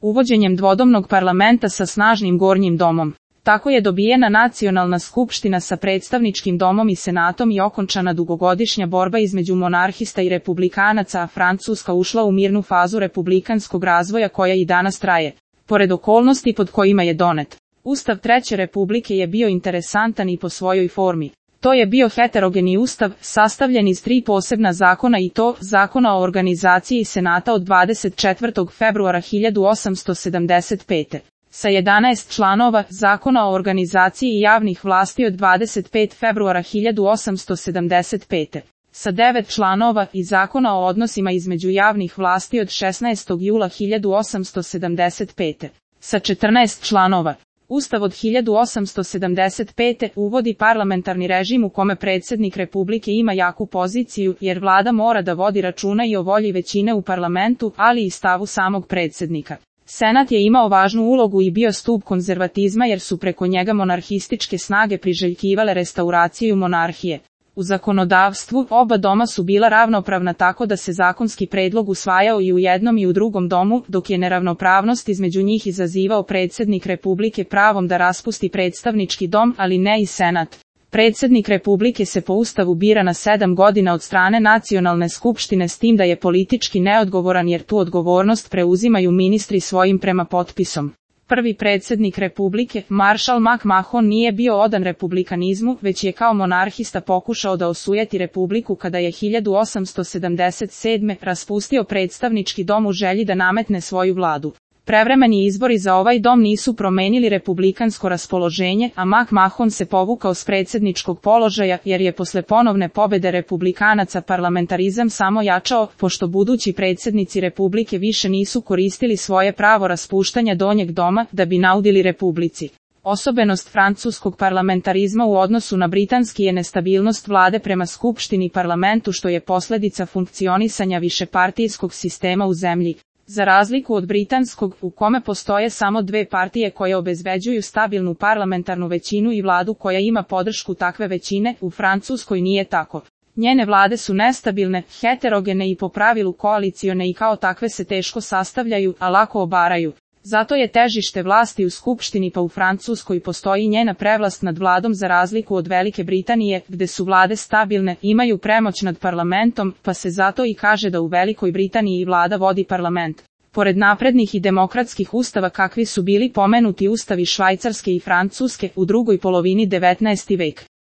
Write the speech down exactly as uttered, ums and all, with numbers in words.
uvođenjem dvodomnog parlamenta sa snažnim gornjim domom. Tako je dobijena nacionalna skupština sa predstavničkim domom i senatom i okončana dugogodišnja borba između monarhista i republikanaca, a Francuska ušla u mirnu fazu republikanskog razvoja koja i danas traje. Pored okolnosti pod kojima je donet, Ustav Treće republike je bio interesantan i po svojoj formi. To je bio heterogeni ustav, sastavljen iz tri posebna zakona i to, Zakona o organizaciji senata od dvadeset četvrtog februara hiljadu osamsto sedamdeset pete. Sa jedanaest članova, Zakona o organizaciji javnih vlasti od dvadeset petog februara hiljadu osamsto sedamdeset pete. Sa devet članova i Zakona o odnosima između javnih vlasti od šesnaestog jula hiljadu osamsto sedamdeset pete. Sa četrnaest članova. Ustav od hiljadu osamsto sedamdeset pete. uvodi parlamentarni režim u kome predsjednik Republike ima jaku poziciju, jer vlada mora da vodi računa i o volji većine u parlamentu, ali i stavu samog predsjednika. Senat je imao važnu ulogu i bio stub konzervatizma jer su preko njega monarhističke snage priželjkivale restauraciju monarhije. U zakonodavstvu oba doma su bila ravnopravna tako da se zakonski predlog usvajao i u jednom i u drugom domu, dok je neravnopravnost između njih izazivao predsjednik Republike pravom da raspusti predstavnički dom, ali ne i senat. Predsjednik Republike se po ustavu bira na sedam godina od strane nacionalne skupštine s tim da je politički neodgovoran jer tu odgovornost preuzimaju ministri svojim prema potpisom. Prvi predsjednik Republike, Maršal McMahon, nije bio odan republikanizmu, već je kao monarhista pokušao da osujeti Republiku kada je hiljadu osamsto sedamdeset sedme. raspustio predstavnički dom u želji da nametne svoju vladu. Prevremeni izbori za ovaj dom nisu promenili republikansko raspoloženje, a McMahon se povukao s predsjedničkog položaja jer je posle ponovne pobede republikanaca parlamentarizam samo jačao, pošto budući predsjednici Republike više nisu koristili svoje pravo raspuštanja donjeg doma da bi naudili Republici. Osobenost francuskog parlamentarizma u odnosu na britanski je nestabilnost vlade prema skupštini i parlamentu što je posljedica funkcionisanja višepartijskog sistema u zemlji. Za razliku od britanskog, u kome postoje samo dve partije koje obezbeđuju stabilnu parlamentarnu većinu i vladu koja ima podršku takve većine, u Francuskoj nije tako. Njene vlade su nestabilne, heterogene i po pravilu koalicione i kao takve se teško sastavljaju, a lako obaraju. Zato je težište vlasti u skupštini pa u Francuskoj postoji njena prevlast nad vladom za razliku od Velike Britanije, gde su vlade stabilne, imaju premoć nad parlamentom, pa se zato i kaže da u Velikoj Britaniji vlada vodi parlament. Pored naprednih i demokratskih ustava kakvi su bili pomenuti ustavi Švajcarske i Francuske u drugoj polovini devetnaestog veka.